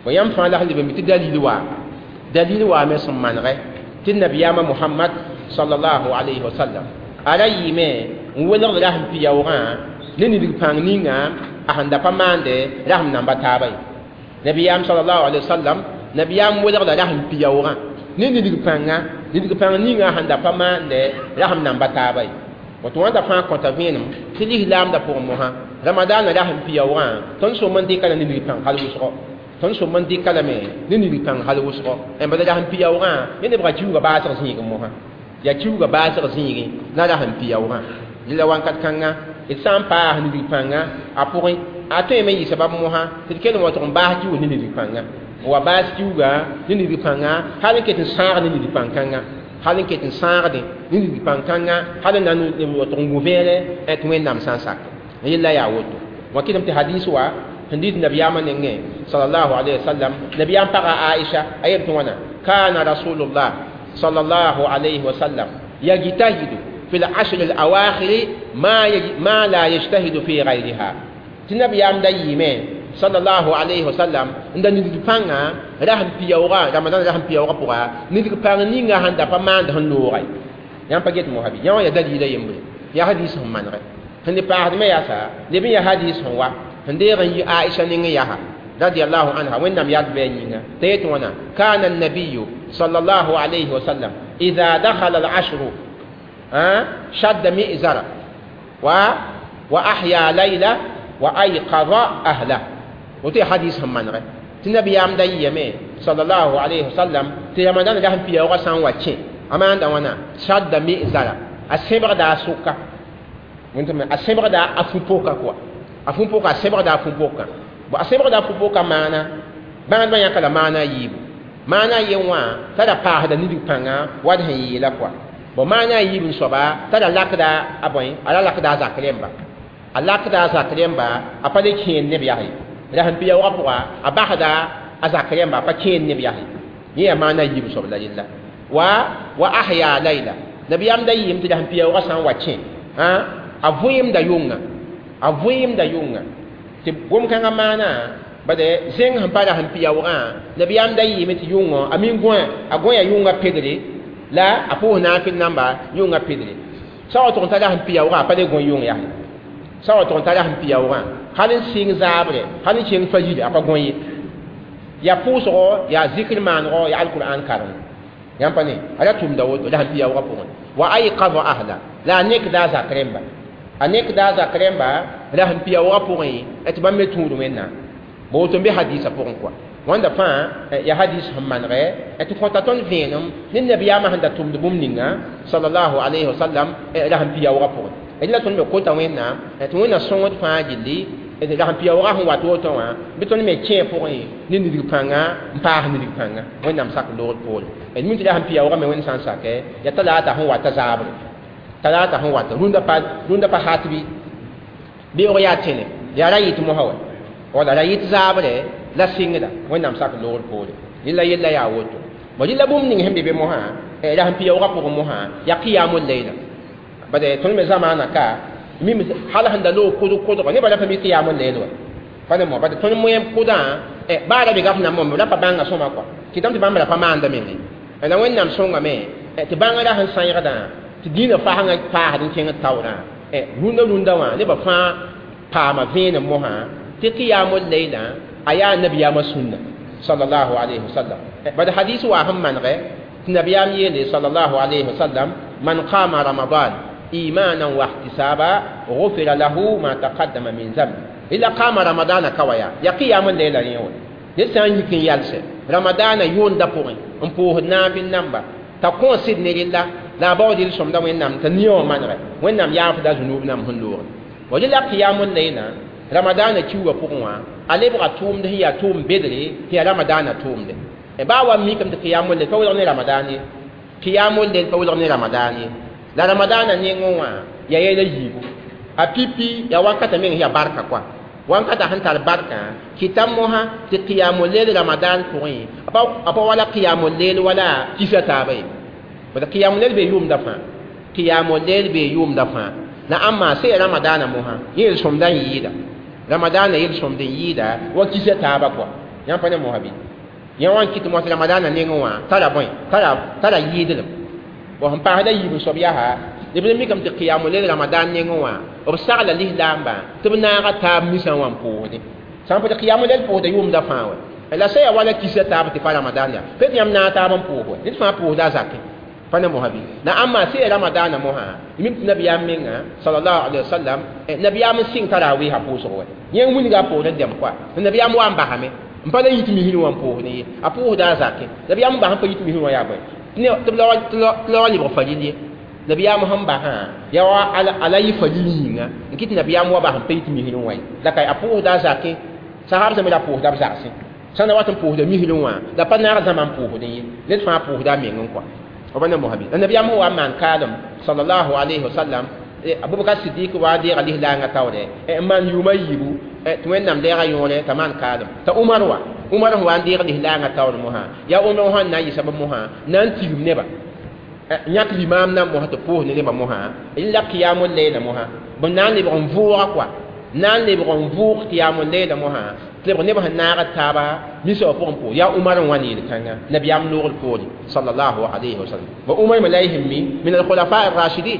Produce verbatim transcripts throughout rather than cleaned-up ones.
Bõ yãmb fãa la sẽn leb n mi tɩ dalil wa dalil wa me sẽn manegɛ tɩ nabiyaamã Mohamad sallallahu alayhi wa sallam a ra yɩɩme n welgd rasem pia-yaoogã ne nidg pãng ninga a sẽn da pa maande rasem namba taaba ye. Nabiyaam sallallahu alayhi wa sallam nabiyaam welgda rasem pia-yaoogã ne nidg pãnga nidg pãng ninga a sẽn da pa maande rasem namba taaba ye. Woto wãnda fãa kõta vẽenem tɩ lislaamdã pʋgẽ mosã ramadaanã rasem pia-yaoogã tõnd sõm n dɩka la ne nidg pãng hal wʋsgo tõnd sõm n dɩka lame ne nidg pãng hal wʋsgo bala rasem pia-yaoogã yẽ nebga kiuugã baasg zĩigẽ mosã yaa kiuugã baasg zĩigẽ la rasem pia-yaoogã la wãnkat kãnga d sã n paas nidg pãnga a pʋgẽ a tõeme n yɩ sabab mosã tɩ d kell n wa tʋg n baas kiuug ne nidg pãnga n wa baas kiuugã ne nidg pãnga hal n ket n sãag ne nidg pãn-kãnga hal n ket n sãagdẽ ne nidg pãn-kãnga hal n na n wa tʋg n gũ vẽere tɩ Wẽnnaam sã n sak yella yaa woto wã kɩtame tɩ hadis wa sẽn dɩt nabiyaamã nengẽ sallallahu alayhi wa sallam nabiyaam paga Aisha a yel tɩ wãna kana rasulullah sallallahu alayhi wa sallam yajtahidu fi al-ashr al-awakhir ma ma la yajtahidu fi ghayriha tɩ nabiyaam da yɩɩme sallallahu alayhi wa sallam n da nidg pãnga rasem pia-yaoogã ramadan rasem pia-yaoogã pʋga nidg pãng ninga sẽn da pa maand sẽn looga ye yãmb pa get mosa bɩ yã wã yaa dalila yembre yaa hadis sẽn manegɛ sẽn ne paasdmẽ yaasa leb n yaa hadis sẽn wa sẽn deeg n yi Aisha nengẽ yaa radiyallahu anha Wẽnnaam yard bɩ a yĩnga t'a yet wãna kana nabiyu sallallahu alayhi wa sallam idha dakhala al-ashru shadda mi'zara wa wa ahya layla wa ayqadha ahla woto yaa hadis sẽn manegɛ tɩ nabiyaam da yɩyame sallallahu alayhi wa sallam tɩ ramadan rasem pia-yaoogã sã n wa kẽ a maanda wãna shadda mi'zara a sẽbgda a sʋka a sẽbgda a fu-poka kɔa a fu-poka a sẽbgda a fu-pokã bo a sẽbgda a fu-poka maana bãadbã yãka la maana a yiibu maana a yen wã t'a ra paasda nidg pãnga wa d sẽn yeela kɔa bo maana a yiib n soaba t'a ra lakda a bõe a ra lakda a zak rẽmba a lakda a zak rẽmba a pa le kẽen neb yaa ye rasem pia-yaoogã pʋga a basda a zak rẽmba a pa kẽen neb yaa ye yẽ yaa maana a yiib soab la yella wa wa ahya layla nabiyaam da yɩɩm tɩ rasem pia-yaoogã sã n wa kẽ a vẽemda yʋnga a vẽemda yʋnga tɩ gom-kãngã maana bade zẽng sẽn pa rasem pia-yaoogã nabiyaam da yɩɩme tɩ yʋngõ a min gõe a gõe yʋngã pedre la a pʋʋs naafɩl namba yʋngã pedre sã wa tʋg n ta rasem pia-yaoogã a pa le gõe yʋng yaa sã wa tʋg n ta rasem pia-yaoogã hal n sɩng zaabre hal n kẽng fajiri a pa gõe ye yaa pʋʋsgo yaa zikr maanego yaa alkur'an kareng yãmb pa ne a ra tʋmda woto rasem pia-yaoogã pʋgẽ wa ayqadha ahla la a nekda a zak rẽmba a nekda a zak rẽmba rasem pia-yaoogã pʋgẽ tɩ bãmb me tũud Wẽnnaam bo woto n be hadisa pʋgẽ kɔa wãnda fãa yaa hadis sẽn manegɛ tɩ kõta tõnd vẽenem ne nabiyaamã sẽn da tʋmd bũmb ninga sallallahu alayhi wa sallam rasem pia-yaoogã pʋgẽ d la tõnd me kota Wẽnnaam tɩ Wẽnna sõngd fãa gilli rasem pia-yaoogã sẽn wat woto wã bɩ tõnd me kẽ pʋgẽ ne nidg pãnga n paas nidg pãnga Wẽnnaam sak loogd poore d mi tɩ rasem pia-yaoogã me Wẽnd sã n sakɛ yaa talaata sẽn wata zaabre talaata sẽn wata rũndã pa rũndã pa hat bɩ beoog yaa tẽne yaa ra yɩt mosã wa wala ra yɩt zaabre la sɩngda Wẽnnaam sak loogd poore yella yella yaa woto bo rɩla bũmb ning sẽn be be mosã rasem pia-yaoogã pʋgẽ mosã yaa qiyamul layla bade tõnd me zamaana ka mim hal sẽn da loog kʋdg kʋdgo nebã ra pa mi qiyamul layl wa pa ne mo bade tõnd moẽm kʋdã baa ra be gaf nambã ra pa bãnga sõma kɔa kɩtame tɩ bãmb ra pa maanda menge la Wẽnnaam sõngame tɩ bãnga ra sẽn sãɩgdã tɩ dĩinã fasngã paasd n kẽng taoorã rũndã rũndã wã nebã fãa paama vẽenem mosã tɩ qiyamul layla a yaa nabiyaamã sũnna sallallahu alayhi wa sallam bad hadis wa sẽn manegɛ tɩ nabiyaam yeele sallallahu alayhi wa sallam man qama ramadan imanan wa ihtisaba غفر له ما تقدم من ذنبه إلا قام رمضان كويا يا قيام الليل rẽ wã ned sã n yik n yalsɛ ramadaana yʋʋnda pʋgẽ n pʋʋsd naafɩl namba t'a kõ sɩd ne rella la a baood yel-sõmda Wẽnnaam t'a nia wã manegɛ Wẽnnaam yaafda zunub nam sẽn loogẽ wa rela qiyamul layla ramadaana kiuugã pʋgẽ wã a lebga tʋʋmd sẽn yaa tʋʋm bedre tɩ yaa ramadaana tʋʋmde baa wa mikame tɩ qiyamul layl pa welg ne ramadan ye qiyamul layl pa welg ne ramadan ye la ramadaana nengẽ wã yaa yɛla yiibu a pipi yaa wakata meng yaa barka kɔa wankata sẽn tar barkã kɩta mosã tɩ qiyamul layl ramadan pʋgẽ a pa wala qiyamul layl wala kisa taaba ye bala qiyamul layl bee yʋʋmda fãa qiyamul layl bee yʋʋmda fãa la ãmba sẽn ramadaana mosã yẽ yel-sõmda n yɩɩda ramadaana yel-sõmd n yɩɩda wa kisa taaba kɔa Yãmb pa ne mosã bɩ yã wã n kɩt mos ramadaanã nengẽ wã tara bõe tara tara yɩɩdlem bõ sẽn paasda yiib n soab yaa b la mikame tɩ qiyamul layl ramadan nengẽ wã b sagla lislaambã tɩ b naaga taab misã wã n pʋʋsdẽ sã n pa tɩ qiyamul layl pʋʋsda yʋʋmda fãa wɛ la sã yaa wala kisa taab tɩ pa ramadan yaa pet yãmb naag taab n pʋʋs wɛ ned fãa pʋʋsda a zakẽ pa ne mosã bɩ la ãmba sã yaa ramadaanã mosã mim tɩ nabiyaam menga sallallahu alaihi wasallam nabiyaam n sɩng tarawiisã pʋʋsg wɛ yẽ n wilga a poorẽ dɛm koa nabiyaam wa n basame n pa la yit misir wã n pʋʋsdẽ ye a pʋʋsda a zakẽ nabiyaam n bas n pa yit misir wã yaa bõe tɩ la wa lebg faril ye nabiyaam sẽn basã yaa wa ala yɩ faril yĩnga n kɩt nabiyaam wa bas n pa yit misir wã ye la ka a pʋʋsda a zakẽ sahab sẽm la pʋʋsda b zagsẽ sã na wat n pʋʋsda misir wã la pa naag zãma n pʋʋsdẽ ye ned fãa pʋʋsda a meng n koa b ne mosã bɩ la nabiyaam sẽn wa n maan kaalem sallallahu alayhi wa sallam abubakar siddiq wa deega lislaangã taoore n maan yʋʋma yiibu tɩ wẽnnaam deega yõore t'a maan kaalem t'a umar wa umar sẽn wa n deeg lislaangã taoor mosã yaa umar sẽn na n yɩ sabab mosã na n tigim neba yãk limaam na mosã tɩ pʋʋs ne nebã mosã la qiyamul layla mosã b na n lebg n vʋʋga koa na n lebg n vʋʋg qiyamul layla mosã tɩ lebg nebã sẽn naag taaba misa wã pʋgẽ pʋʋs yaa umar n wa ne yel-kãnga nabiyaam noogr poore sallallahu alayhi wa sallam wa umar me la y sẽn mi min alkhulafa arrashidin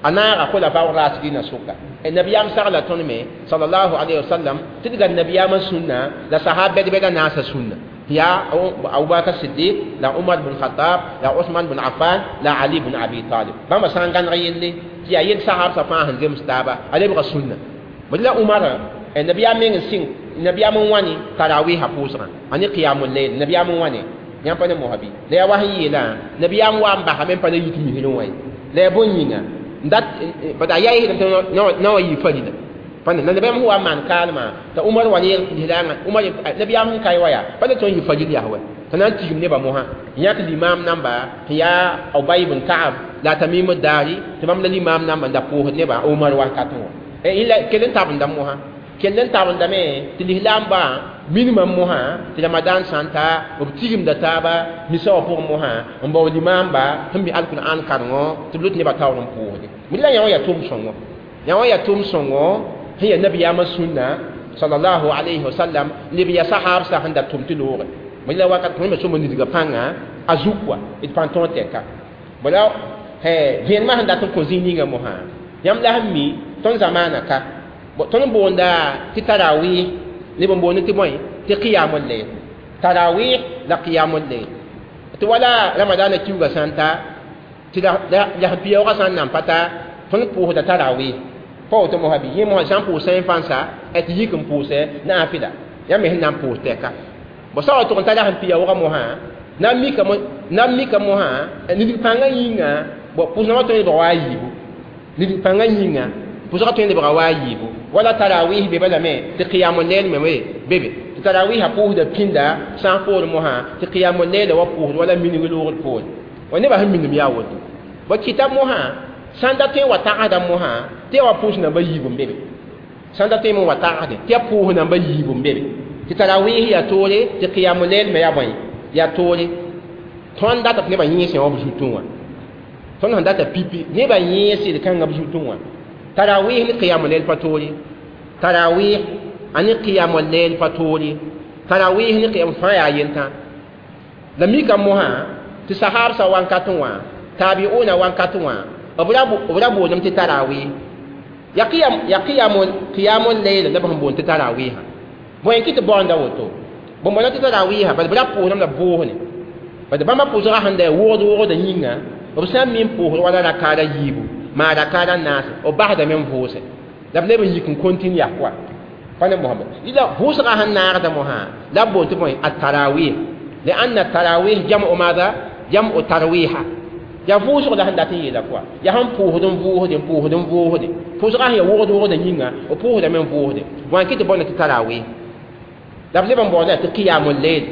a naaga khulafa arrashidina sʋka nabiyaam sagla tõnd me sallallahu alayhi wa sallam tɩ d gad nabiyaamã sũnna la sahab bɛd-bɛda naasa sũnna ya Abubakar Siddiq la Umar bin Khattab la Usman bin Affan la Ali bin Abi Talib bãmba sã n gãneg yelle tɩ yaa yel sahab sã fãa sẽn zems taaba a lebga sũnna bd la Umar nabiyaam meng n sɩng nabiyaam n wãne tarawiisã pʋʋsgã a ne qiyamul layl nabiyaam n wãne yãmb pa ne mosã bɩ la yaa wa sẽn yeelã nabiyaam wa n basame n pa la yit misrẽ wã ye la yaa bõn yĩnga dat bad a yaa yɩsdame tɩ na wa yɩ farila pa na nabiyaam sẽn wa n maan kaalmã t'a umar wa ne lislaangã umar nabiyaam sẽn ka wa yaa pa le tõe n yɩ faril yaa wɛ t'a na n tigim nebã mosã yãk limaam namba sẽn yaa Ubay ibn Ka'ab la Tamim ad-Dari tɩ bãmb la limaam namba n da pʋʋsd nebã Umar wakatẽ wã kell n tabenda mosã kell n tabendame tɩ lislaambã minimum mosã tɩ ramadan sã n ta b tigimda taaba misa wã pʋgẽ mosã n bao limaamba sẽn mi alkur'an karengo tɩ b lut nebã taoor n pʋʋsde mid la yã wã yaa tʋʋm-sõngo yã wã yaa tʋʋm-sõngo sẽn yaa nabiyaamã sũnna sallallahu alayhi wa sallam leb yaa sahaab sã sẽn da tʋm tɩ looge mid la wakat tõe me sõma nidgã pãnga a zuk wa d pãn tõog tɛka bala vẽenemã sẽn dat n kõ zĩig ninga mosã yãmb la sẽn mi tõnd zamaana ka tõnd boonda tɩ tarawih neb n boond tɩ bõe tɩ qiyamul layl tarawih la qiyamul layl tɩ wala ramadaanã kiuugã sã n ta tɩ la sẽn piyaoogã sã n nan pa ta tõnd pʋʋsda tarawih pa woto mosã bɩ yẽ mosã sã n pʋʋs sã n fãnsa tɩ yik n pʋʋsɛ naafɩla yãmb me sẽn na n pʋʋs tɛka bõ sã wa tʋg n tara sẽn piyaoogã mosã na n mika na n mika mosã nidg pãngã yĩnga bõ pʋʋsdã wã tõe n lebga wa a yiibu nidg pãngã yĩnga pʋʋsgã tõe n lebga wa a yiibu wala tarawih be balame tɩ qiyamul layl me we bebe tɩ tarawiisã pʋʋsda pĩnda sã n poor mosã tɩ qiyamul layla wa pʋʋsd wala minig loogd poore wa nebã sẽn minim yaa woto bõ kɩta mosã sãn da tõe n wa tagsda mosã tɩ ya wa pʋʋs namba yiib n bebe sãn da tõe n wa tagsdẽ tɩ ya pʋʋs namba yiib n bebe tɩ tarawih yaa toore tɩ qiyamul layl me yaa bõe yaa toore tõnd data tɩ nebã yẽesẽ wã b zutẽ wã tõnd sẽn data pipi nebã yẽesd kãngã b zutẽ wã tarawih ne qiyamul layl pa toore tarawih ani qiyamul layl pa toore tarawih ne qiyam fãa yaa yentã la mika mosã tɩ sahab sã wankatẽ wã tabiuna wankatẽ wã b ra boondame tɩ tarawih ya qiyam ya qiyamul qiyamul layl la b sẽn boond tɩ tarawiha bõe n kɩ tɩ baoonda woto bõn-bõna tɩ tarawiha bad b ra pʋʋsdame la bʋʋsne bad bãmba pʋʋsgã sẽn da wogd wogda yĩnga b sã n mi n pʋʋsd wala rakaada yiibu maa rakaada naase b basdame n vʋʋse la b leb n yik n kontine yaa koa pa ne Muhammad la vʋʋsgã sẽn naagda mosã la b boond tɩ bõe at-tarawih لأن التراويح جمع ماذا؟ جمع ترويحة ya vʋʋsg la sẽn dat n yeela koa yaa sẽn pʋʋsd n vʋʋsde n pʋʋsd n vʋʋsde pʋʋsgã sẽn yaa wogd wogda yĩnga b pʋʋsdame n vʋʋsde wã n kɩ tɩ bõna tɩ tarawih la b leb n baooda tɩ qiyamul layl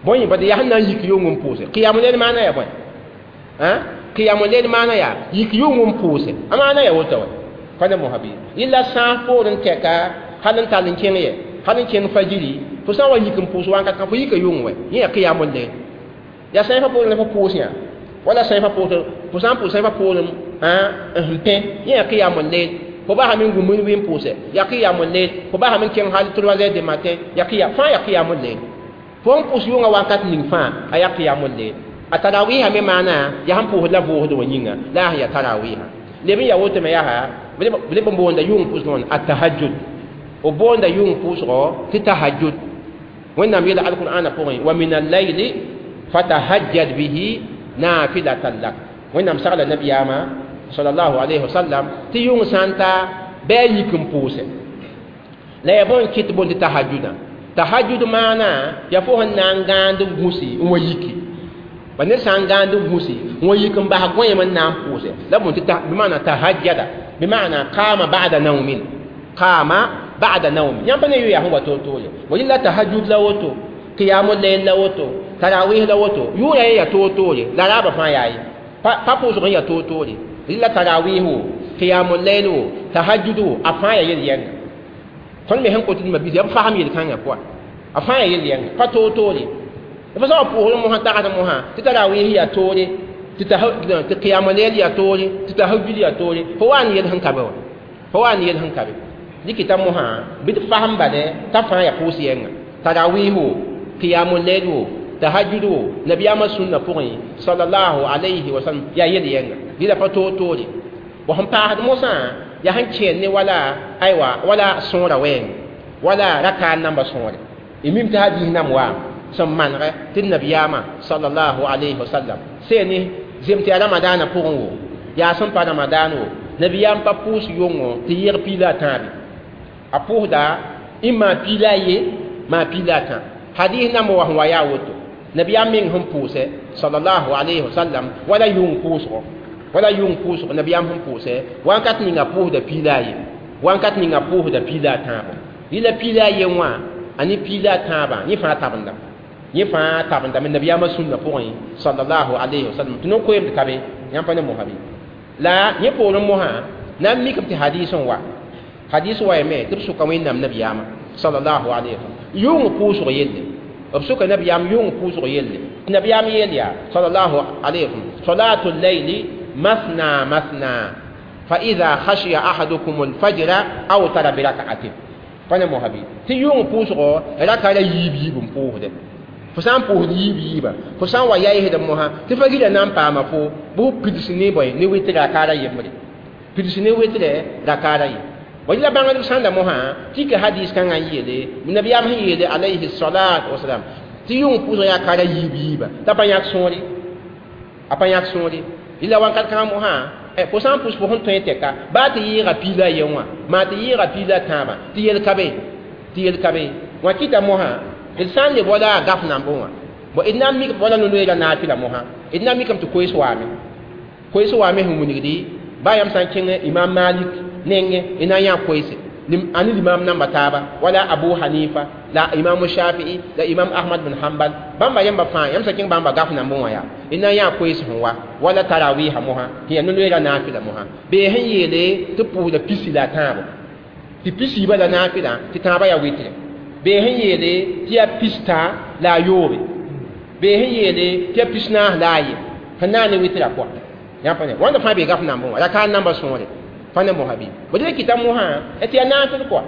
bõe bad yaa sẽn na n yik yʋng n pʋʋse qiyamul layl maana yaa bõe qiyamul layl maana yaa yik yʋng n pʋʋse a maana yaa woto wɛ pa ne mosã bɩ yella sãas poor n tɛka hal n tall n kẽng yɛ hal n kẽng fajiri fo sã n wa yik n pʋʋs wakat kã fo yika yʋng wɛ yẽ yaa qiyamul layl yaa sãyẽfã poorẽ la fo pʋʋs yã wala sãyẽfã poor fo sã n pʋʋs sãyẽfã poorẽ n pẽ yẽ yaa qiyamul layl fo basame n gũ minuit n pʋʋsɛ yaa qiyamul layl fo basame n kẽng hal trois heures du matin yaa qiya fãa yaa qiyamul layl fo n pʋs yʋngã wakat ning fãa a yaa qiyamul layl a tarawiha me maana yaa sẽn pʋʋsd la vʋʋsd wã yĩnga la a sẽn yaa tarawiha leb n yaa woto me yaa leb n boonda yʋng pʋsgã wãna a tahajjud b boonda yʋng pʋʋsgɔ tɩ tahajjud wẽnnaam yeela alqur'ana pʋgẽ wa min allayli fatahajjad bihi nafilatan lak wẽnnaam sagla nabiyaamã sallallahu alayhi wa sallam tɩ yʋng sã n ta bɩ a yik n pʋʋsɛ la yaa bõn kɩt bõn tɩ tahajjudã tahajjud maana yaa fo sẽn na n gãand n gũsi n wa yiki ba ned sã n gãand n gũsi n wa yik n bas gõeem n na n pʋʋsɛ la bõn tɩ bɩmaana tahajjada bɩmaana qaama ba'da naumin qaama ba'da naumin yãmb pa ne yʋ yaa sẽn wa toor-toore bo la tahajjud la woto qiyamul layl la woto tarawih la woto yʋʋra ye yaa toor-toore la raabã fãa yaa ye pa pʋʋsg n yaa toor-toore la tarawih wo qiyamul layl wo tahajjud wo a fãa yaa yel-yɛnga tõnd me sẽn kot d mabis yaa b fasem yel-kãngã pʋa a fãa yaa yel-yɛnga pa toor-toore f sã wa pʋʋsd mosã tagsd mosã tɩ tarawih yaa toore tɩ qiyamul layl yaa toore tɩ tahajjud yaa toore fo wa n yel sẽn ka be wa fo wa n yel sẽn ka be dɩkɩta mosã bɩ d fasem bale t'a fãa yaa pʋʋs yɛnga tarawih wo qiyamul layl wo tahajjud wo nabiyaamã sũnna pʋgẽ sallallahu alayhi wa sallam yaa yel-yɛnga dɩla pa toor-toore wa sẽn paasd mosã yaa sẽn kẽer ne wala aywa wala sõora wɛɛng wala raka n namba sõore y mim tɩ hadis nam waam sẽn manegɛ tɩ nabiyaamã sallallahu alayhi wa sallam see ne zem tɩ yaa ramadaanã pʋgẽ wo yaa sẽn pa ramadaan wo nabiyaam pa pʋʋs yʋngo tɩ yɛg piila a tãabe a pʋʋsda n maa piila a ye maa piila a tã hadis nam wa sẽn wa yaa woto nabiyaam meng sẽn pʋʋsɛ sallallahu alayhi wa sallam wala yʋng pʋʋsgɔ wala yʋng pʋʋsg nabiyaam sẽn pʋʋsɛ wãnkat ninga pʋʋsda piila a ye wãnkat ninga pʋʋsda piila a tãabo rɩla piila a ye wã a ne piila a tãabã yẽ fãa tabendame yẽ fãa tabendame nabiyaamã sũnna pʋgẽ sallallahu alayhi wa sallam tɩ no-koeemd ka be yãmb pa ne mosã bɩ la yẽ poorẽ mosã na n mikame tɩ hadis n wa hadis wa yame tɩ b sʋka wẽnnaam nabiyaamã sallallahu alayhi wa sallam yʋng pʋʋsg yelle b sʋka nabiyaam yʋng pʋʋsg yelle tɩ nabiyaam yeel yaa sallallahu alayhi wa sallam salatu layli مثنى مثنى فإذا خشي أحدكم الفجر أوتر بركعة فأنا مهبي تي يوم بوسغو ركعة ييب ييب بوهده فسان بوهد ييب ييب فسان ويايه دموها تفجر نام باما فو بو بيدسني بوي ني ويتر ركعة يمري بيدسني ويتر ركعة يم وإلا بانغ سان دموها تيك حديث كان يلي النبي أم يلي عليه الصلاة والسلام تي يوم بوسغو ركعة ييب ييب تبا ياك سوري أبا ياك سوري ila wakat kãngã mosã fo sã n pʋs fo sẽn tõe tɛka baa tɩ yɩɩga piila a yen wã maa tɩ yɩɩga piila a tãabã tɩ yel ka be tɩ yel ka be wã kɩta mosã d sã n le wala a gaf nambẽ wã bon d na n mik wala no-noeera naafɩla mosã d na n mikame tɩ koees waame koees waame sẽn wilgdi baa yãmb sã n kẽng imam malik nengẽ d na n yã koeese a ne limam namba taaba wala abu hanifa la imam shafi'i la imam ahmad bin hanbal bãmba yãmba fãa yãmb sã kẽng bãmba gaf nambẽ wã yaa d na n yã koees sẽn wa wala tarawiha mosã tɩ yaa no-loeera naafɩla mosã bee sẽn yeele tɩ pʋʋsda pisi la a tãabo tɩ pisiibã la naafɩlã tɩ tãabã yaa wɩtre bee sẽn yeele tɩ yaa pistã la a yoobe bee sẽn yeele tɩ yaa pis-naas la a ye sẽn na n ne wɩtrã pʋga yãmb pa ne wãnda fãa bee gaf nambẽ wã raka n namba sõore pa ne mosã bɩ bõ dɩ kɩta mosã tɩ yaa naafɩl kɔa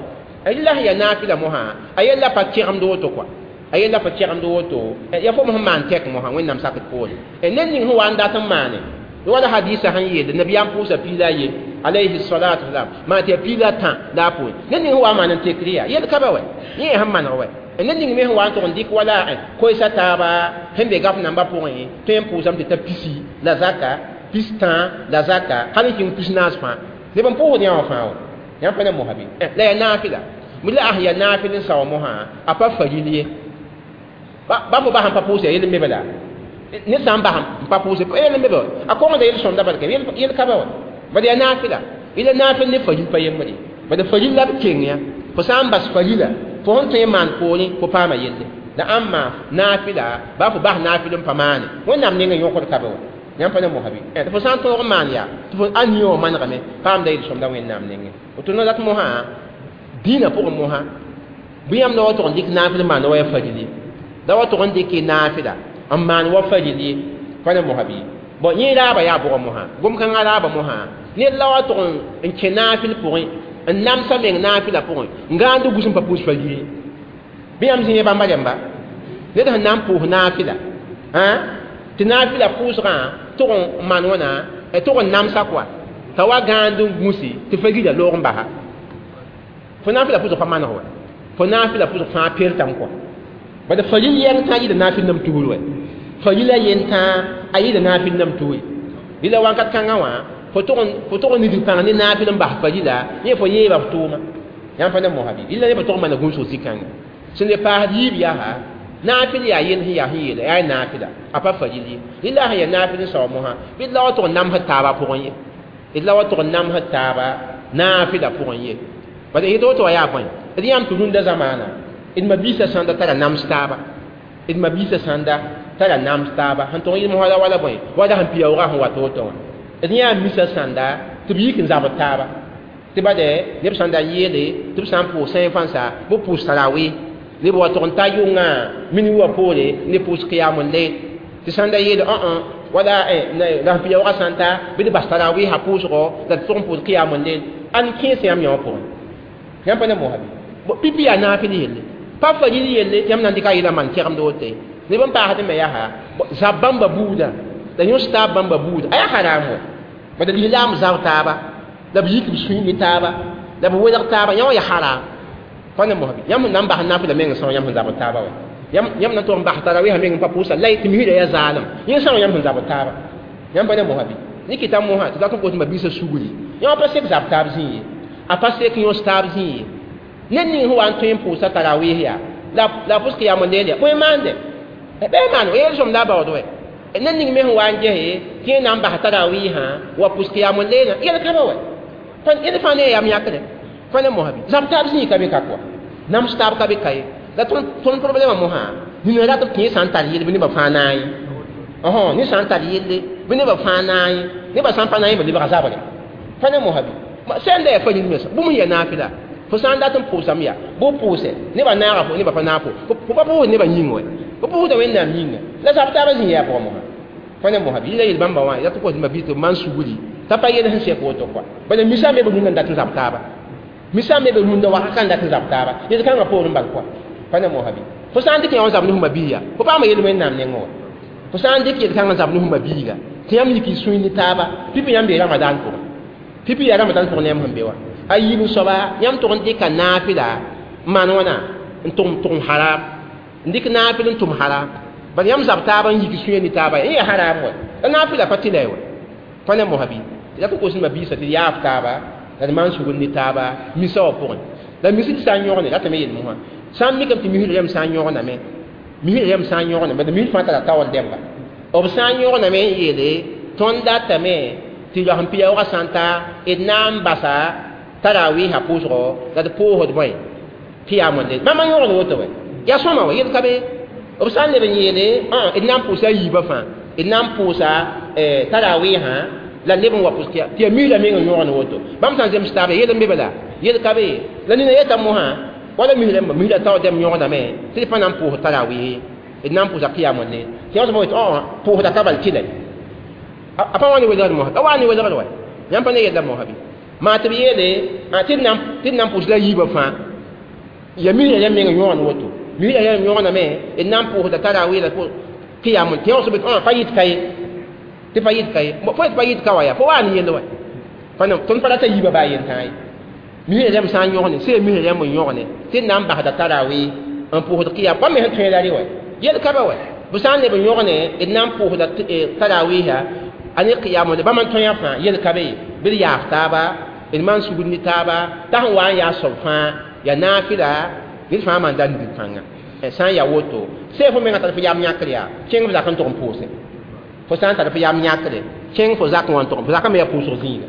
la sẽn yaa naafɩla mosã a yella pa kẽgemd woto kɔa a yella pa kẽgemd woto ya fo sẽn maan tɛk mosã wẽnnaam sakd poore ned ning sẽn wa n dat n maane wala hadisa sẽn yeele nabiyaam pʋʋsa piila a ye alayhi salatu wasalam maa tɩ yaa piila a tã la a poore ned ning sẽn wa n maan n tekr yaa yel ka ba wɛ yẽ sẽn maneg wɛ ned ning me sẽn wa n tʋg n dɩk wala koeesa taaba sẽn be gaf nambã pʋgẽ tõe n pʋʋsame tɩ ta pisi la zaka pis tã la zaka hal n kẽng pis naas fãa neb n pʋʋsd yã wã fãa wa yãmb pa ne mosã bɩ la yaa naafɩla la a sẽn yaa naafɩl n sao mosã a pa faril ye ba fo bas n pa pʋʋs yaa yel n be bala ned sã n bas n pa pʋʋse yel n be ba a kongda yel sõmda bala yel ka ba wa bad yaa naafɩla ila naafɩl ne faril pa yembre bad faril la b keng yã fo sã n bas farila fo sẽn tõe n maan poorẽ fo paama yelle la ãmba naafɩla ba fo bas naafɩl n pa maane wẽnnaam nengã yõkd ka be wa yãmb pa ne mosã bɩ fo sã n tõog n maan yaa tɩ fo a niã wã manegame paamda yel-sõmda wẽnnaam nengẽ woto no dat mosã dĩinã pʋgẽ mosã bɩ yãmb la wa tʋg n dɩk naafɩl n maan wa yaa faril ye la wa tʋg n dɩk naafɩla n maan wa faril ye pa ne mosã bɩ bon yẽ raaba yaa bʋgã mosã gom-kãngã raaba mosã Ned la wa tʋg n kẽ naafɩl pʋgẽ n namsa meng naafɩla pʋgẽ n gãand gus n pa pʋʋs fa yiri bɩ yãmb zĩ bãmba rẽmba ned sẽn na n pʋʋs naafɩla tɩ naafɩla pʋʋsgã tʋg n maan wãna tʋg n namsa kɔa t'a wa gãand n gũsi tɩ fa gira loog n basa fo naafɩla pʋʋsg pa maneg wa fo naafɩla pʋʋsg fãa pertame kɔa bala faril yɛng tã yɩɩda naafɩl nam tugr wɛ farila yen tã a yɩɩda naafɩl nam tugre rɩla wakat kãngã wã fo tʋg n nidg pãng ne naafɩl n bas farila yẽ fo yeeba f tʋʋma yãmb pa ne mosa bɩ rɩla ne fo tʋg n maana gũusg zĩ-kãnga sẽn le paasd yiib yaa naafɩl yaa yel sẽn yaa sẽn yeela yaa naafɩla a pa faril ye rɩla sẽn yaa naafɩl n sao mosã bɩ d la wa tʋg n namsd taaba pʋgẽ ye d la wa tʋg n namsd taaba naafɩla pʋgẽ ye bala yetɩ woto wa yaa bõe d yãmb tɩ rũndã zamaana d mabiisã sãnda tara nams taaba d mabiisã sãnda tara nams taaba sẽn tʋg n yɩl mosã wala bõe wala sẽn piyaoogã sẽn wat woto wã d yãa misã sãnda tɩ b yik n zabd taaba tɩ bade neb sãnda n yeele tɩ b sã n pʋʋs sẽn fãnsa bɩ pʋʋs tarawe neb wa tʋg n ta yʋngã mini wa poore ne pʋʋs qiyam layl tɩ sãnda yeele õ wala la sẽn piyaoogã sãn ta bɩ d bas tarawɩɩsã pʋʋsgɔ la d tʋg n pʋʋs qiyam layl ãn kẽes yãmb yã wã pʋgẽ yãmb pa ne mosa bɩ pipi yaa naafɩl yelle pa faril yelle tɩ yãmb na n dɩka yɩla maan kɛgemd woto ye neb n paasd me yaa zab bãmba buudã la yõs taab bãmba buudã a yaa haram wɛ bala lislaam zab taaba la b yik b sũy ne taaba la b welg taaba yã wã yaa haram pa ne mosa bɩ yãmb sẽn na n bas naafɩla meng são yãmb sẽn zabd taaba wɛ yãmb na n tʋg n bas tarawɩɩsã meng n pa pʋʋsa la tɩ misrã yaa zaalem yẽ são yãmb sẽn zabd taaba yãmb pa ne mosa bɩ ne kɩta mosã tɩ dat n koos mabiisã sugri yã wã pa sek zab taab zĩ ye a pa sek yõs taab zĩ ye ned ning sẽn wa n tõe n pʋʋsa tarawɩɩs yaa la la pʋs qiyam layl yaa bõe maande bɩ maan o yeel sõm la a baood wɛ ned ning me sẽn wa n gese tɩ yẽ na n bas tarawɩɩsã wa pʋs qiyam laylã yel ka ba wɛ yẽd fãa ne yam yãkre fa ne mosa bɩ zab taab zĩig ka be ka kɔa nams taab ka be ka ye la tõnd problɛmã mosã nina rat b tẽ sã n tar yell bɩ nebã fãa naay ne sã n tar yelle bɩ nebã fãa naay nebã sã n pa naay b lebga zabre fa ne mosa bɩ sẽn da yaa faril mensã bũmb sẽn yaa naafɩla fo sã n dat n pʋʋsame yaa bɩ pʋʋsɛ nebã naaga fo nebã pa naag fo fo pa pʋʋsd nebã yĩng wɛ fo pʋʋsda wẽnnaam yĩnga la zab taabã zĩ yaa pʋgã mosã fa ne mosa bɩ yɩla yel bãmba wã rat n kos mabiis tɩ b maan sugri t'a pa yel sẽn sɛk woto kɔa bala misã me b rũndã n dat n zab taaba misã me b rũndã wakat n dat n zab taaba yel kãngã poorẽ bal kɔa pa ne mosa bɩ fo sã n dɩk yã wã zab ne f mabiiga fo paama yel wẽnnaam nengẽ wã fo sã n dɩk yel kãngã zab ne f mabiiga tɩ yãmb yik y sũy ne taaba pipi yãmb bee ramadan pʋgẽ pipi yaa ramadan pʋgẽ ne yãmb sẽn be wã a yiib soaba yãmb tʋg n dɩka naafɩla n maan wãna n tʋg tʋg n haram n dɩk naafɩl n tʋm haram bala yãmb zab taaba n yik sũyã ne taaba yẽ yaa haram wɛ la naafɩla pa tɩ la ye wɛ pa ne mosa bɩ tɩ dat n kos mabiisã tɩ yaaf taaba la d maan sugr ne taaba misa wã pʋgẽ la misi tɩ sã n yõgne ratame yel mosã sã n mikame tɩ misr rẽmb sã n yõgename misr rẽmb sã n yõgename la misr fãa tara taoor dẽmba b sã n yõgename n yeele tõnd datame tɩ loasẽ piyaoogã sã n ta d na n basa tarawɩɩsã pʋʋsgɔ la d pʋʋsd bõe qiyam layl bãmb n yõgd woto wɛ yaa sõma wɛ yel ka be b sã n leb n yeele d na n pʋʋsa a yiibã fãa d na n pʋʋsa tarawɩɩsã la leb n wa pʋs tɩ yaa misrã meng n yõgd woto bãmb sã n zems taaba yel n be bala yel ka be la nina yeta mosã wala misrã misrã taoor dẽmb yõgdame tɩ d pa na n pʋʋs tarawɩɩs d na n pʋʋsa qiyam layl tɩ yã sõma pʋʋsda ka bal tɩla a pa wa ne welgd mosã a wa ne welgd wɛ yãmb pa ne yella mosã bɩ maa tɩ b yeele tɩ d na n pʋʋs la yiibã fãa ya misrã yãmb meng n yõgd woto misrã yãmb yõgdame d na n pʋʋsda tarawɩɩ la qiyam tɩ yã sõma pa yɩt ka ye tɩ pa yɩt ka ye fo yet pa yɩt ka wa yaa fo wa ne yell wɛ tõnd pa rata yiibã baa yen tãa ye misrã rãmb sã n yõgne sẽn misrã rãmb n yõgne tɩ d na n basda tarawɩ n pʋʋsd qiyam bãmb me sẽn tõe la rɩ wɛ yel ka ba wɛ b sã n leb n yõgne d na n pʋʋsda tarawɩɩsã a ne qiyam bãmb n tõe fãa yel ka be bɩ d yaaf taaba d maan sugr ne taaba t'a sẽn wa n yaa soab fãa yaa naafɩla ned fãa maan da nidg pãnga sã n yaa woto sẽn fo mengã tar fo yam yãkr yaa kẽng f zak n tʋg n pʋʋse fo sã n tar fo yam yãkre kẽng fo zak wã n tʋg fo zakã me yaa pʋʋsg zĩiga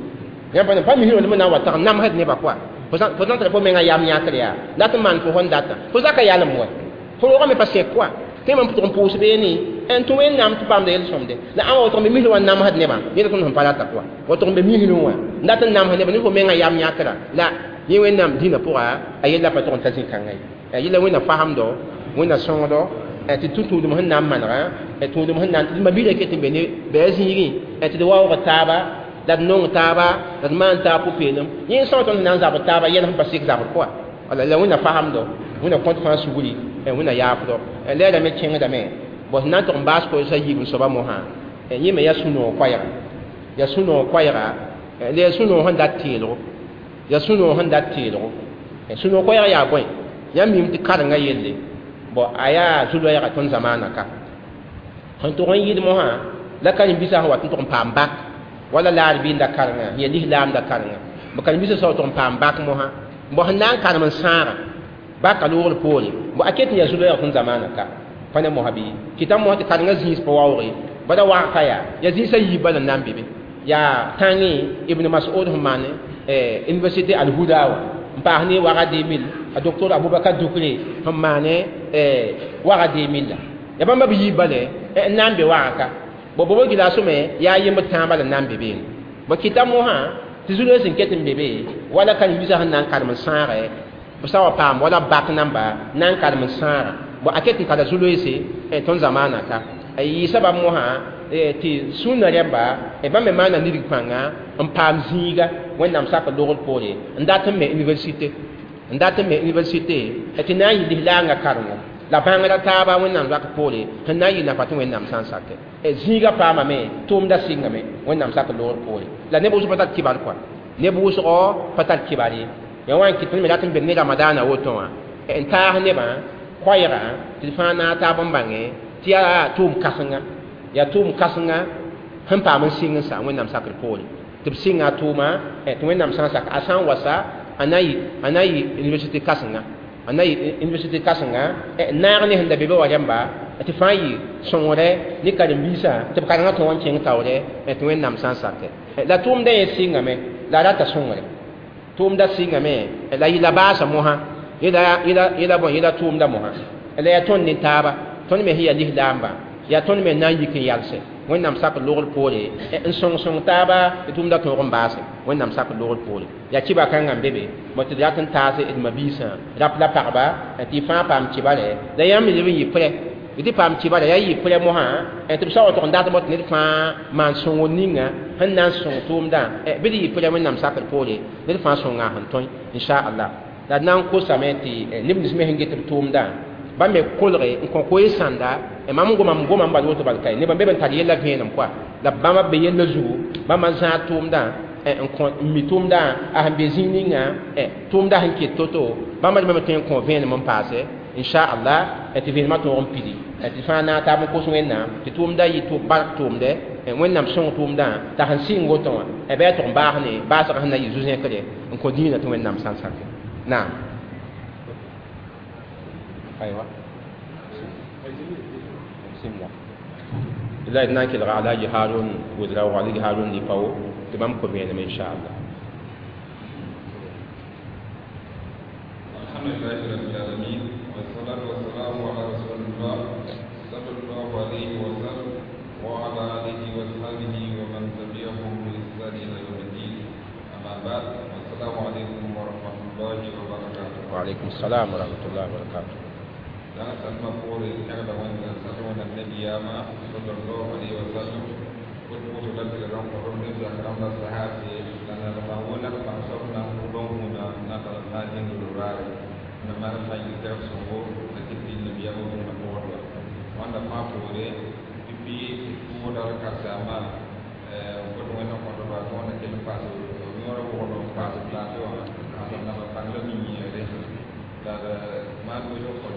yãmb pa pa misr wã na n wa tag namsd nebã kɔa fo sã n tar fo mengã yam yãkr yaa dat n maan fo sẽn data fo zakã yalem wɛ fo roogã me pa sẽk kɔa tɩ mam tʋg n pʋʋs beene n tũ wẽnnaam tɩ paamda yel-sõmde la ãn wa tʋg n be misr wã namsd nebã yẽl tõnd sẽn pa rata kɔa wa tʋg n be misrẽ wã n dat n namsd nebã ne fo mengã yam yãkra la yẽ wẽnnaam dĩnã pʋga a yella pa tʋg n ta zĩ-kãngã ye yella wẽnna fasemdo wẽnna sõngdo tɩ tũ tũudem sẽn na n manega tũudem sẽn na n tɩ mabiirã ket n be ne bɩ a zĩigẽ tɩ d waoog taaba La d nong taaba, la d maan taab pʋ-peelem. Yẽ sã n tõnd na n zabd taaba yɛl sẽn pa sɩk zabr pʋga. Wala la Wẽnna fasamdo, Wẽnna kõt fãa sugri, Wẽnna yaafdo. La y rame kẽngdame. Bõe sẽn na n tʋg n baas koeesã yiib n soaba mosã, yẽ me yaa sũ-noog koɛɛga. Yaa sũ-noog koɛɛga, la yaa sũ-noog sẽn dat teelgo. Yaa sũ-noog sẽn dat teelgo. Sũ-noog koɛɛga yaa bõe? Yãmb miime tɩ karen-gã yelle, bõ a yaa zu-loɛɛga tõnd zamaanã ka. Sẽn tʋg n yɩɩd mosã, la karen-biisã sẽn wat n tʋg n paam bak, wala la arbiinda karengã, yaa lislaamda karengã. B karen-biisã sã tʋg n paam bak mosã, bõ sẽn na n karem n sãaga baka loogr poore, bõ a ket n yaa zu-loɛɛg tõnd zamaanã ka. Pa ne mosã bɩ kɩta mosã tɩ karengã zĩis pa waooge, bala wag ka yaa, yaa zĩisã yiib bala n na n be be. Yaa tãngẽ Ibn Mas'ud sẽn maan université Al-Huda wã n paas ne waga deux mille, a docteur Abubakar Dukre sẽn maane waga deux mille la. Yaa bãmba b yiib bala n na n be waga ka. Bõ bobo gɩlasme yaa yembd tãabã la n na n be beene. Bõ kɩta mosã tɩ zu-loees sẽn ket n be be, wala karen-biisã sẽn na n karem n sãagɛ, b sã wa paam wala bak namba na n karem n sãaga. Bõ a ket n tara zu-loeese tõnd zamaanã ka. Yɩ sabab mosã tɩ sũnã rẽmba bãmb me maana nidg pãnga n paam zĩiga Wẽnnaam sak logr poore n dat n me université, n dat n me université tɩ na n yɩ lislaangã karengo la bãngrã taaba Wẽnnaam zak poore sẽn na n yɩ nafa tɩ Wẽnnaam sã n sake. Zĩiga paamame, tʋʋmda sɩngame Wẽnnaam sak logr poore. La neb wʋsg pa tar kibar kɔa, neb wʋsgɔ pa tar kibar ye. Yaa wã n kɩt tõnd me rat n beng ne ramadaanã woto wã n taas nebã koɛɛga tɩ d fãa naag taab n bãnge tɩ yaa tʋʋm kãsenga, yaa tʋʋm kãsenga sẽn paam n sɩng n sa Wẽnnaam sakr poore. Tɩ b sɩnga a tʋʋma tɩ Wẽnnaam sã n sak a sã n wa sa a na yɩ a na yɩ université kãsenga, a na yɩ université kãsenga naag ne sẽn da be be wa rẽmba tɩ fãa yɩ sõngre ne karen-biisã tɩ b karengã tõog n kẽng taoore tɩ Wẽnnaam sã n sake. La tʋʋmdã yẽ sɩngame la a rata sõngre. Tʋʋmda sɩngame la yɩla baasa mosã, yẽla bõe yẽla tʋʋmda mosã. La yaa tõnd ne taaba, tõnd me sẽn yaa lislaamba, yaa tõnd me na n yik n yalse Wẽnnaam sak logr poore n sõng sõng taaba tɩ tʋʋmda tõog n baase Wẽnnaam sak logr poore. Yaa kɩba kãngã n be be, bõ tɩ d rat n taas d ma-biisã rap la pagba tɩ y fãa paam kɩbare la yãmb me leb n yɩ prɛ tɩ paam kɩbara yaa yɩ prɛ mosã tɩ b sa wa tʋg n dat bõ tɩ ned fãa maan sõngr ninga sẽn na n sõng tʋʋmdã bɩ d yɩ prɛ Wẽnnaam sakr poore ned fãa sõnga sẽn tõe inchallah. La d na n kosame tɩ neb nins me sẽn get b tʋʋmdã bãmb me kolge n kõ koees sãnda. Mam goma m goma n bal woto bal kae nebã be b n tar yella vẽenem koa la bãmba be yella zugu bãmba n zãag tʋʋmdã n kõ n mi tʋʋmdã a sẽn be zĩig ninga tʋʋmdã sẽn ket to-to bãmba me tõe n kõ vẽenem n paase inchallah tɩ vẽenemã tõog n pidi tɩ fãa naag taab n kos Wẽnnaam tɩ tʋʋmdã yɩ bark tʋʋmdɛ Wẽnnaam sõng tʋʋmdã t'a sẽn sɩng woto wã bɩ a tʋg n baas ne baasgã sẽn na yɩ zu-zẽkre n kõ dĩinã tɩ Wẽnnaam sã n sake. Naam. Aywa. Bismillah. La d na n kelga Alhaji Harun Ouedraogo, Alhaji Harun Lipao tɩ bãmb kõ vẽenem inchallah. الحمد لله رب العالمين والصلاة والسلام على رسول الله صلى الله عليه وسلم وعلى آله وصحبه ومن تبعهم بإحسان إلى يوم الدين أما بعد السلام عليكم ورحمة الله وبركاته. وعليكم السلام ورحمة الله وبركاته. Dan salma poore tagda wẽnda sal wẽnda nabiyaamã sallallahu alayhi wa sallam bot woto la tɩ rãmb ne zak rãmb la sahabe la nalemã wʋnag bãng soab na n kʋ bãn-hũnã na tall n na n dĩnd raare na maan fãa yɩ tɛg sõngo la tɩ pid nabiyaamã bũmb pʋgdba wãnda fãa poore pipi tʋʋda d karsaamã bot wẽnd n kõtba tɩ wãnda kell n paas yõor wʋgd n paas plato wã asam naba pãng la mi-yẽere la d maan wʋsg kõt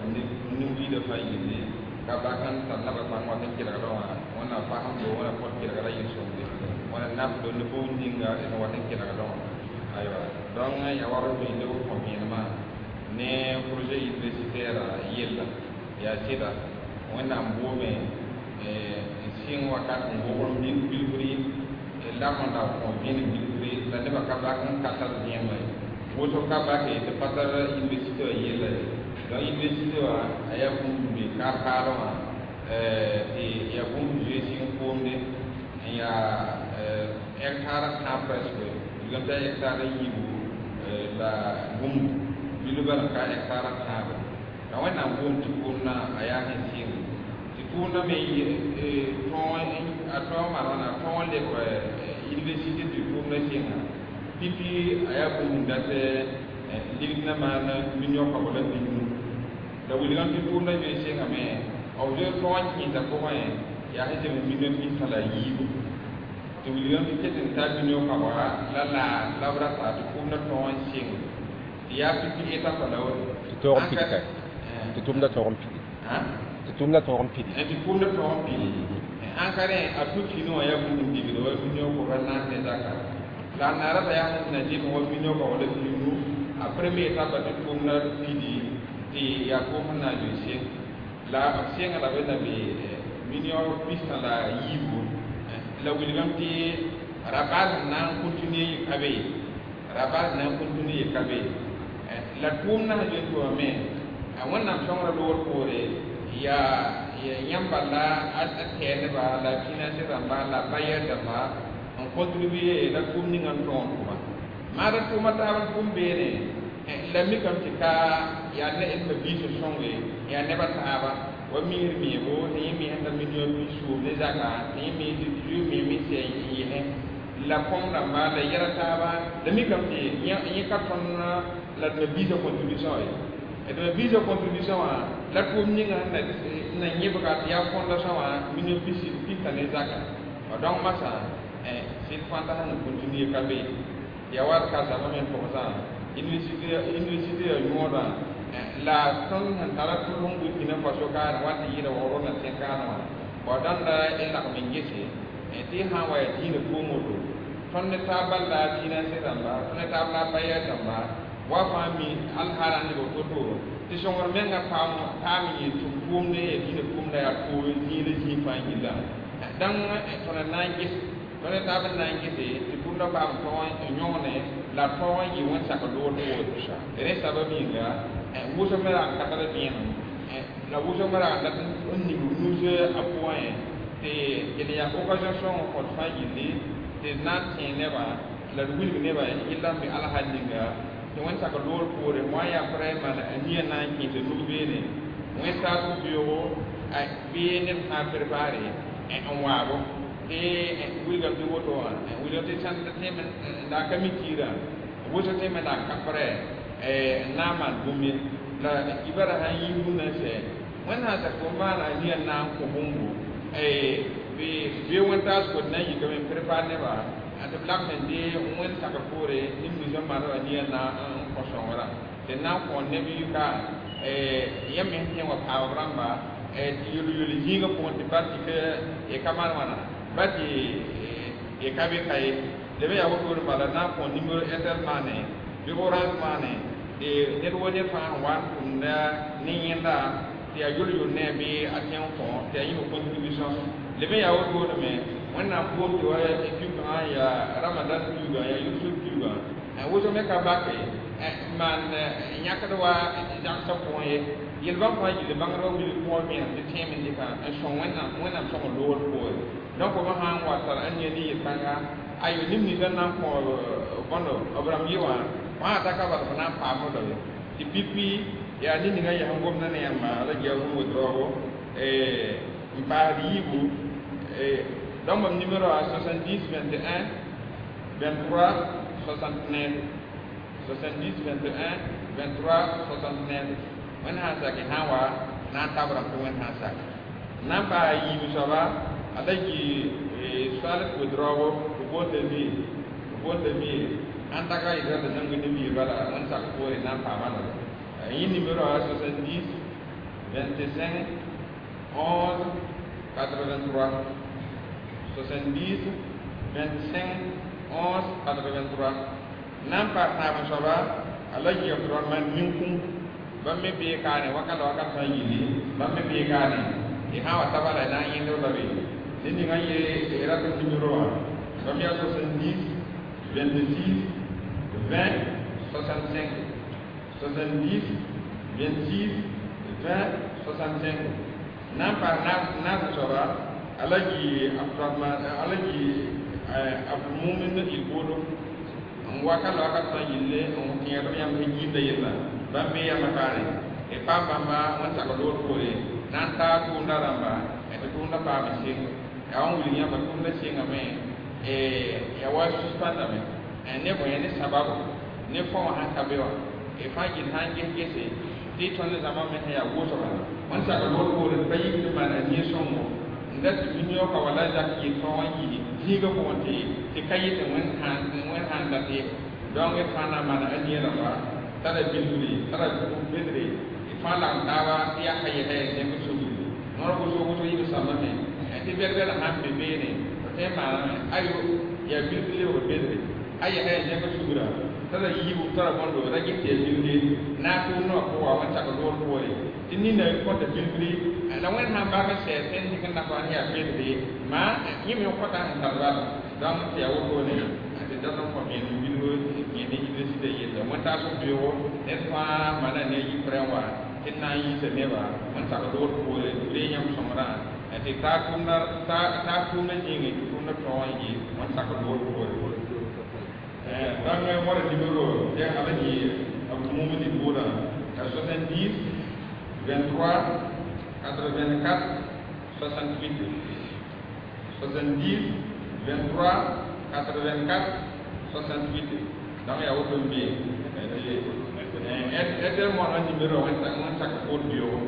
nin-wiidã fãa yelle ka bak n tar naba pãng wat n kelgdã wã wẽnnaam fasemdo wẽna kõt kelgra yel-sõmde wẽna nafdo ne bũmb ninga d wat n kelgdã wã aywa donc yaa wa b leb kõ vẽenemã ne projet universitaire yella yaa sɩda Wẽnnaam boome n sɩng wakat n wogr bilfri lak n da kõ vẽenem bilfri la nebã ka bak n ka tar vẽenemã ye wʋsg ka bake tɩ pa tar université wã yella ye donc université wã a yaa bũmb be kaar-kaarẽ wã tɩ yaa bũmb zoe sɩng koomde n yaa hectare tãab presque wilgame t'a hectare yiibu la bũmb bilbã ka hectare tãabe la Wẽnnaam boom tɩ kʋʋmdã a yaa sẽn sɩng tɩ tʋʋmdã me tõog a tõog maan wãna a tõog n lebg Université tɩ tʋʋmdã sɩnga pipi a yaa bũmb dat ligd na maan million kaoog la pinu la wilgame tɩ tʋʋmdã zoe sɩngame b zoe tõog n kẽesã pʋgẽ yaa sẽn zems million pis-tã la yiibu tɩ wilgame tɩ ket n taa million kaooga la la la b rata tɩ tʋʋmdã tõog n sɩng tɩ yaa pipi étape la woto tɩ toog n pid ka tɩ tʋʋmdã tõog n pidi tɩ tʋʋmdã tõog n pidi tɩ tʋʋmdã tõog n pidi ãn ka rẽ a tʋ fini wã yaa bũmb n digd wa million koga naas ne zaka la a naara yaa sẽn na zems wa million kaoog la pinu a premier étape tɩ tʋʋmdã pidi tɩ yaa tʋʋm sẽn na n zoe seng la b senga la b na be million pis-tã la yiibu la wilgame tɩ rabal sẽn na n continue yɩ ka be rabal sẽn na n continue yɩ ka be la tʋʋmdã sẽn zoe n tʋmame a wẽnnaam sõngrã loogr poore yaa yãmb bala a tɛɛdba la financier rãmba la bailleur dãmba n contribuer la tʋʋm ninga n tõog n tʋma maada tʋʋma taab n tʋm beene la mikame tɩ ka yaa ne d mabiis n sõnge yaa nebã taaba wa miisd meebo tɩ yẽ me sẽn ta million pis-soom ne zaka tɩ yẽ me zoe meeme sɛ n yɩsẽ la kõm rãmba la yɛla taaba la mikame tɩ yẽ ka tõnd la d mabiisã contribution ye d mabiisã contribution wã la tʋʋm ninga sẽn na yẽbga tɩ yaa fondation wã million pis-tã ne zaka donc masã sɩd fãnda sẽn continue ka be yaa wa d ka zaba me n togsã université université ya yõodã la tõnd sẽn tara tʋls n Burkina Faso kaane wa tɩ yɩɩda waoor na tẽ kaane wã bao dãnda y lagm n gese tɩ y sã n wa yaa diinã pʋʋm woto tõnd ne taab bal la financier rãmba tõnd ne taab la bailleur rãmba wa fãa mi alhaala n leb to-to tɩ sõngr menga paam paam yɩ tʋm tʋʋmde ya diinã tʋʋmda yaa tʋʋm zĩig zĩig fãa yilla dãng tõnd na n ges tõnd ne taab n na n gese tɩ tʋʋmdã paam tõog n yõgne la tõog n yɩ wẽn-sak loor poore rẽ sabab yĩnga wʋsg me rag n ka tar vẽenem la wʋsg me rag n dat n ning nus a pʋgẽ tɩ d yaa occasion sõng n kõt fãa yilli tɩ d na n tẽ nebã la d wilg nebã yella n be alhal ninga tɩ wẽn-sak loor poore wã yaa prɛ maan a nia na n kẽes nug beene wẽn-taas beoogo bɩ ned sã n prépare n waabo tɩ wilgame tɩ woto wã wilgame tɩ sãn tẽem n da ka mi kiirã wʋsg tẽeme na n ka prɛ n na n maan bũmb ye la kibara sãn yi rũndã sɛ wẽnd sã sak fo maana a nia na n kõ bũmbu bɩ bɩ wẽn-taas kot na n yikame n prépare nebã tɩ b lagm n dee wẽnd sakr poore nin-ninsã maana a nia na n kõ sõngrã tɩ na n kõ neb yʋka yãmb me sẽn tẽ wã paab rãmba tɩ yel-yel zĩigã pʋgẽ tɩ ba tɩ y ka maan wãna ba tɩ y ka be ka ye leb yaa wotore bala na n kõ numéro Airtel maane bɩ Orange maane tɩ ned wo ned fãa sẽn wa n tʋmda ne yẽnda tɩ yaa yol-yol ne a bɩ a tẽ n kõ tɩ yaa yĩmb contribution leb n yaa wotone me wẽnnaam boom tɩ wa kiu-kãngã yaa ramadan kiuugã yaa yʋsg kiuugã wʋsg me ka bake maan yãkd wa zagsã pʋgẽ ye yel-bãmb fãa yɩl bãngdbã wilg pʋgẽ vẽenem tɩ tẽem n dɩka n sõng wẽnnaam wẽnnaam sõng loogr poore donc b sã n wa tar n ne ne yel-kãnga ayo neb ninsã na n kõ bõndo b rãmb yɩ wã wã ta ka bal b na n paam la ye tɩ pipi yaa ned ninga yaa sẽn gomda ne yãmba la gia wʋm wʋdraoogo n paasd yiibu donc mam numéro a soixante-dix vingt et un vingt-trois soixante-neuf, soixante-dix vingt et un vingt-trois soixante-neuf. Wẽnd sã n sak sã n wa na n tab rãmb tɩ wẽnd sã n sak na n paas yiib soaba a la yɩ Salif Ouédraogo b boonda mi b boonda mi ãn taka yɩ la zãmb ne mi bala wẽnd sak poore na n paama la yẽ numéro a soixante-dix vingt-cinq onze quatre-vingt-trois, soixante-dix vingt-cinq onze quatre-vingt-trois. Na n paas taab n soaba a la yɩ Abdurahman Ninkũ bãmb me bee kaane wakat la wakat sã n yili bãmb me bee kaane y sã n wa ta bala na n yẽnd la be ned ninga ye rat numéro wã bãmb yaa soixante-dix vingt-six vingt soixante-cinq, soixante-dix vingt-six vingt soixante-cinq. Na n paas naas n soaba a la yɩ Abdurahman a la yɩ Abdulmumin Ilbodo n wakat la wakat sã n yille n kẽedb yãmb sẽn yiimda yella bãmb me yama kaane y paam bãmba wẽn-sak loor poore na n taa tʋʋmda rãmba tɩ tʋʋmda paam seng yaa wã wilg yãmba tʋʋmda sengame ya wa suspendame ne bõe ne sababu ne fõ wã sãn ka be wã y fãa gɩd sã n ges gese tɩ tõnd zãma me sẽn yaa wʋsga wẽn sak loor poore tɩ pa yik tɩ maan a nin-sõngo n dat tɩ mi-yaooka wala zak yɩ tõog n yi zĩigã pʋgẽ tɩ tɩ ka yɩ tɩ wẽnd sãn dat ye donc d fãa na n maana a nia rãmba tara bilfre tara bedre d fãa lagem taaba tɩ yaa ka yɛsa yaa zẽk sugri noor wʋsg wʋsg yɩ b sãmbame tɩ bɛd-bɛd sãn be beene b tõe n maaname ayo yaa bilf lebg bedre a yɛsa yaa zẽk sugra tara yiibu tara bõndo ra ges tɩ yaa bilfre naag tʋʋmdã wã pʋga wẽn sak loor poore tɩ nina kõta bilfre la wẽnd sãn bak n sɛ sẽn dɩk n nafa sẽn yaa bedre maa yẽ me kõta sẽn tar bala donc tɩ yaa wotone tɩ dat n kõ vẽenem bilf yẽne université yella wẽn-taasg beoogo ned fãa maana ne a yiprẽ wã tɩ d na n yiisa neba wẽn sak loor poore tɩ b reeg yãmb sõmbrã tɩ taa tʋʋmdã yĩngẽ tɩ tʋʋmdã tõog n yɩ wẽn sak loor poore donc wara numéro tɩ alaji abdou buuda soixante-dix vingt-trois quatre-vingt-quatre soixante-huit soixante-dix vingt-trois quatre-vingt-quatre soixante-huit donc yaa woto n be airtel moanã numéro wẽn sak poor beoogo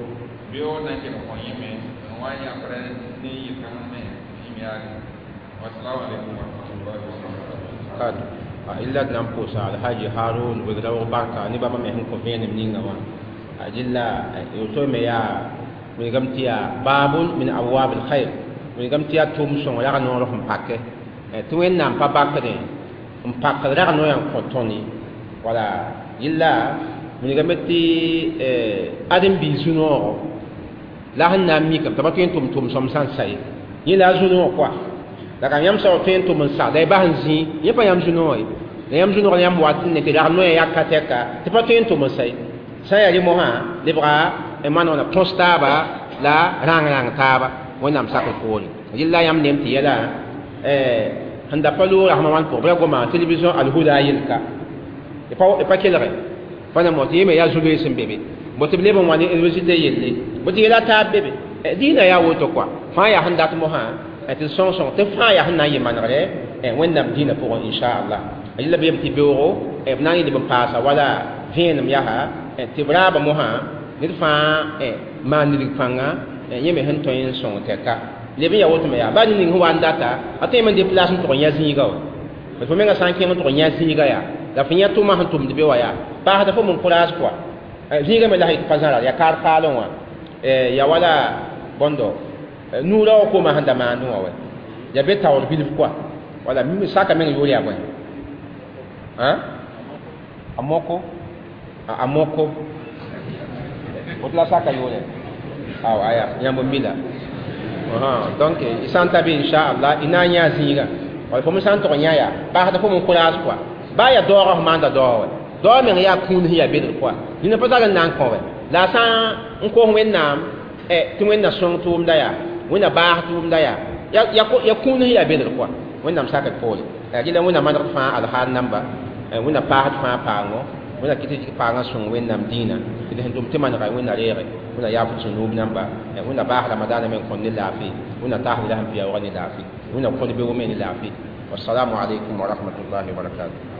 beoog na n kell n kõ yẽme n wa n yãprẽ ne yɩl-kãng me yẽm yaare wassalamu alaikum warahmatullahi wabarakatuh illa d na n pʋʋsa alhaji harun wegdaoog barka ne bãmba me sẽn kõ vẽenem ninga wã dɩlla woto me yaa wilgame tɩ yaa babun min abwab alkhair wilgame tɩ yaa tʋʋm sõng rag noor sẽn pake tɩ wẽnnaam pa bakdẽ n pakd rag noyã n kõ tõnd ye wala yella wilgame tɩ ãdem-biig zu-noogo la sẽn na n mikame t'a pa tõe n tʋm tʋm-sõm sã n sa ye yẽ la a zu-noog koa la ka yãmb soab tõe n tʋm n sa la y bas n zĩ yẽ pa yãmb zu-noog ye la yãmb zu-noog la yãmb wat ne tɩ rag noyã yaka tɛka tɩ pa tõe n tʋm n sa ye sã n yaa rẽ mosã lebga maan wãna põs taaba la rãng-rãng taaba wẽnnaam sakr poore yella yãmb nem tɩ yɛla sẽn da pa loog rasmã wãn pʋgẽ bɩ ra goma télévision alhuda yelka d pa kelge pa na mo tɩ yẽ me yaa zu-loees n be be bo tɩ b leb n wa ne université yelle bo tɩ yɛla taab be be dĩinã yaa woto koa fãa yaa sẽn dat mosã tɩ sõng sõng tɩ fãa yaa sẽn na n yɩ manegre wẽnnaam dĩinã pʋgẽ inchallah yella beem tɩ beoogo b na n yɩl b n paasa wala vẽenem yaa tɩ b raaba mosã ned fãa maan nidg pãnga yẽ me sẽn tõe n sõng tɛka leb n yaa woto me yaa baa ning sẽn wa n data a tõe me n déplace n tʋg n yã zĩiga wa fo menga sã n kẽng n tʋg n yã zĩiga yaa la fo yã tʋma sẽn tʋmd be wã yaa paasda fo min courage kɔa zĩiga me la sẽn pa zãra yaa kaar paalẽ wã ya wala bõndo nuurã wã koomã sẽn da maandẽ wã wɛ ya be taoor bilf kɔa wala saka meng yʋʋr yaa bõe a moko a moko woto la saka yʋʋre aw aya yãmb n mila donc y sã n ta be inchallah y na n yã zĩiga wala fo me sã n tʋg n yã yaa paasda fo min courage kɔa baa yaa daoogã f maanda daoog wɛ daoog meng yaa kũun sẽn yaa bedr kɔa nina pa zag n na n kõ wɛ la a sã n kos wẽnnaam tɩ wẽnna sõng tʋʋmda yaa wẽnna baas tʋʋmda yaa ya kũun sẽn yaa bedr kɔa wẽnnaam sakd poore rɩla wẽnna manegd fãa alhaal namba wẽnna paasd fãa paango wẽnna kɩ tɩ paangã sõng wẽnnaam dĩinã tɩ d sẽn tʋm tɩ manega wẽnna reege wẽnna yaaf d zũnuub namba wẽnna baas ramadaana me n kõn ne laafɩ wẽnna taas la sẽn piyaoogã ne laafɩ wẽnna kõd beoog me ne laafɩ wassalamu alaikum wa rahmatullahi wa barakatuh.